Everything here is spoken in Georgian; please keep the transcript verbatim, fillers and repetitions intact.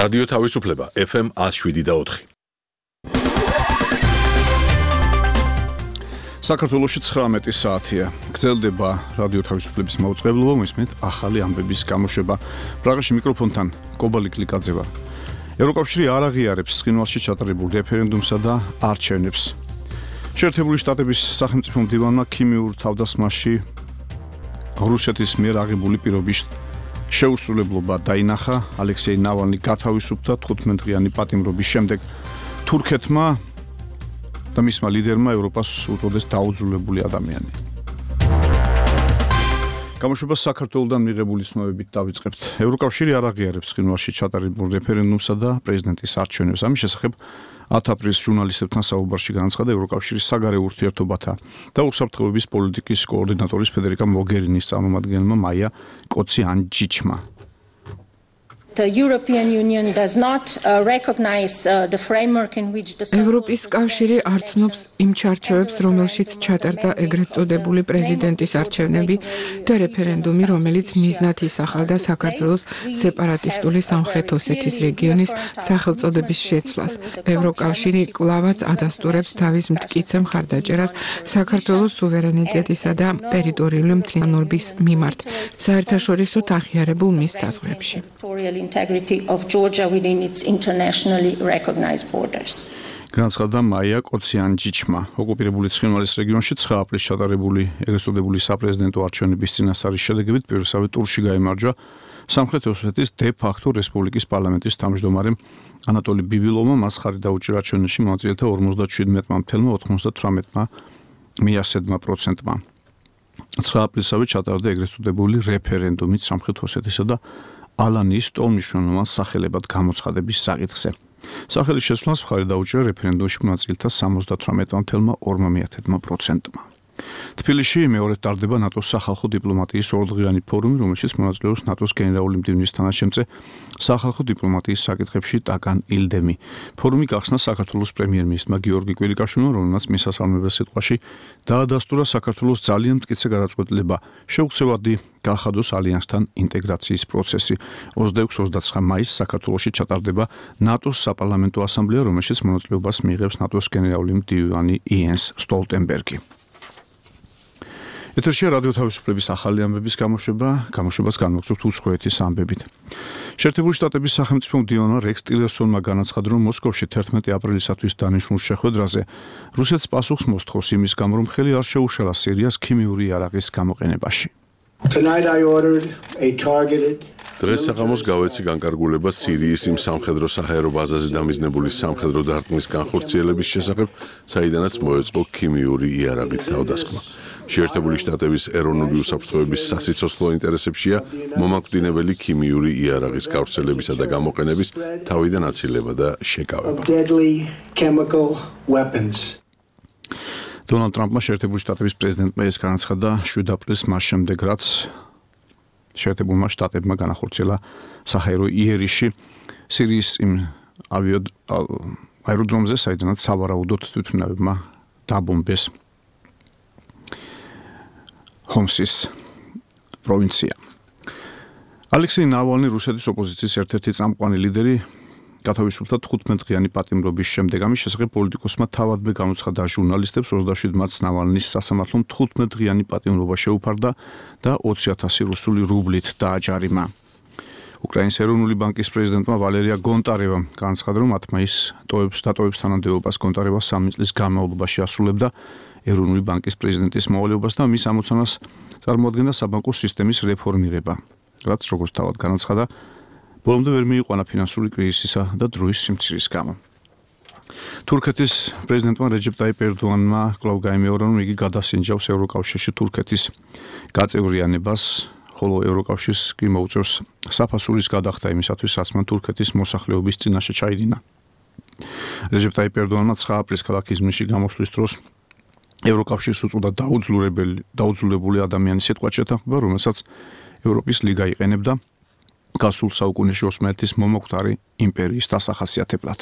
რადიო თავისუფლება ეფ ემ ათს შვიდი და ოთხი. საქართველოში ცხრამეტი საათია. გრძელდება რადიო თავისუფლების მაუწყებლობა, მისმენთ ახალი ამბების გამოშვება. პრაღაში მიკროფონთან კობალი კლიკაძე ვარ. ევროკავშირი არ აღიარებს ცხინვალში ჩატარებულ რეფერენდუმსა და არჩევნებს. შეერთებული შტატების სახელმწიფო მდივანმა ქიმიურ თავდასხმაში რუსეთის მიერ აღებული პირობის შეუსრულებლობა დაინახა. ალექსეი ნავალნი გათავისუფლდა თხუთმეტდღიანი პატიმრობის შემდეგ. თურქეთმა და მისმა ლიდერმა ევროპას უწოდეს დაუძულებული ადამიანი. გამოშვება საქართველოდან მიღებული ცნობებით დავიწყებთ. ევროკავშირი არ აღიარებს ცხინვალში ჩატარებულ რეფერენდუმსა და პრეზიდენტის არჩევნებს. ამის შესახებ ათ აპრილს ჟურნალისტებთან საუბარში განაცხადა ევროკავშირის საგარეო ურთიერთობათა და უსაფრთხოების პოლიტიკის კოორდინატორის ფედერიკა მოგერინის წარმომადგენელმა მაია კოციანჯიჩმა. The European Union does not uh, recognize uh, the framework in which the ევროპის კავშირი არ ცნობს იმ ჩარჩოებს, რომელშიც ჩატარდა ეგრეთ წოდებული პრეზიდენტის არჩევნები და რეფერენდუმი, რომელიც მიზნად ისახავდა საქართველოს სეპარატისტული სამხრეთ ოსეთის რეგიონის სახელწოდების შეცვლას. ევროკავშირი კვლავაც ადასტურებს თავის მტკიცე მხარდაჭერას საქართველოს სუვერენიტეტისა და ტერიტორიული მთლიანობის მიმართ, საერთაშორისოდ აღიარებულ მის საზღვრებში. integrity of Georgia within its internationally recognized borders. განაცხადა მაია კოციანჯიჩმა. ოკუპირებული ცხინვალის რეგიონში ცხრა აპრილს ჩატარებული ეგრეთ წოდებული საპრეზიდენტო არჩევნების წინასწარი შედეგებით პირველსავე ტურში გაიმარჯვა სამხრეთ ოსეთის დე-ფაქტო რესპუბლიკის პარლამენტის თავმჯდომარემ ანატოლი ბიბილოვმა. მას ხარი დაუჭირა არჩევნებში მონაწილეთა ორმოცდაშვიდმეტი თელა ოთხმოცდათვრამეტი მიასედმა პროცენტმა. ცხრა აპრილსავე ჩატარდა ეგრეთ წოდებული რეფერენდუმი სამხრეთ ოსეთისა და ალანის ტოლმნიშნულოვან სახელებად გამოცხადების საკითხზე. სახელის შესვლას მხარი დაუჭირა რეფერენდუმში მონაწილეთა სამოცდათვრამეტი თელა ორმოცდაათი პროცენტმა. თბილისში მეორედ ტარდება ნატოს სახალხო დიპლომატიის ორდღიანი ფორუმი, რომელშიც მონაწილეობს ნატოს გენერალური მდივნის თანაშემწე სახალხო დიპლომატიის საკითხებში ტაკან ილდემი. ფორუმი გახსნა საქართველოს პრემიერ-მინისტრმა გიორგი კვირიკაშვილმა, რომელმაც მისასალმებელ სიტყვაში დაადასტურა საქართველოს ძალიან მტკიცე გადაწყვეტილება შეუცვლელად გახადოს ალიანსთან ინტეგრაციის პროცესი. ოცდაექვსი ოცდაცხრა მაისს საქართველოში ჩატარდება ნატოს საპარლამენტო ასამბლეა, რომელშიც მონაწილეობას მიიღებს ნატოს გენერალური მდივანი იენს სტოლტენბერგი. ეთერშია რადიო თავისუფლების ახალი ამბების გამოშვება, გამოშვებას განმოგცემთ უცხოეთის ამბებით. შეერთებული შტატების სახელმწიფო მდივანმა რექს ტილერსონმა განაცხადა, რომ მოსკოვში თერთმეტი აპრილისათვის დანიშნულ შეხვედრაზე რუსეთს პასუხს მოსთხოვს იმის გამო, რომ ხელი არ შეუშალა სირიას ქიმიური იარაღის გამოყენებაში. დღეს საღამოს გავეცი განკარგულება სირიის იმ სამხედრო საჰაერო ბაზაზე დამიზნებული სამხედრო დარტყმის განხორციელების შესახებ, საიდანაც მოეწყო ქიმიური იარაღით თავდასხმა. შეერთებული შტატების ეროვნული უსაფრთხოების სასიცოცხლო ინტერესებშია მომაკვდინებელი ქიმიური იარაღის გავრცელებისა და გამოყენების თავიდან აცილება და შეკავება. დონალდ ტრამპმა შეერთებული შტატების პრეზიდენტმა ეს განაცხადა შვიდ აპრილს, მას შემდეგ რაც შეერთებულმა შტატებმა განახორციელა საჰაერო იერიში სირიის იმ აეროდრომზე, საიდანაც სავარაუდოდ თვითმფრინავებმა დაბომბეს ჰომსის პროვინცია. ალექსეი ნავალნი, რუსეთის ოპოზიციის ერთ-ერთი წამყვანი ლიდერი, გათავისუფლდა თხუთმეტდღიანი პატიმრობის შემდეგ. ამის შესახებ პოლიტიკოსმა თავადვე განუცხადა ჟურნალისტებს, ოცდაშვიდ მარტს ნავალნის სასამართლომ თხუთმეტდღიანი პატიმრობა შეუფარდა და ოცი ათასი რუსული რუბლით დააჯარიმა. უკრაინის ეროვნული ბანკის პრეზიდენტმა ვალერია გონტარევამ განაცხადა, რომ ათ მაისს ტოვებს დატოვებს თანამდებობას. გონტარევა სამი წლის განმავლობაში ასრულებდა ეროვნული ბანკის პრეზიდენტის მოვალეობას და მის ამოცანას წარმოადგენდა საბანკო სისტემის რეფორმირება, რაც როგორც თავად განაცხადა, ბოლომდე ვერ მიიყვანა ფინანსური კრიზისისა და დროის სიმცირის გამო. თურქეთის პრეზიდენტმა რეჯეპ ტაიპ ერდოანმა კვლავ გაიმეორა, რომ იგი გადასინჯავს ევროკავშირში თურქეთის გაწევრიანებას, ხოლო ევროკავშირს კი მოუწევს საფასურის გადახდა იმისათვის, რაც მან თურქეთის მოსახლეობის წინაშე ჩაიდინა. რეჯეპ ტაიპ ერდოანმა ცხრა აპრილს ქალაქ იზმირში გამოსვლის დროს ევროკავშირს უწოდა დაუძლურებელი დაუძლურებული ადამიანის სიტყვად შეთანხმება, რომელსაც ევროპის ლიგა იყენებდა გასულ საუკუნეში ოსმალეთის მომოკვდარი იმპერიის დასახასიათებლად.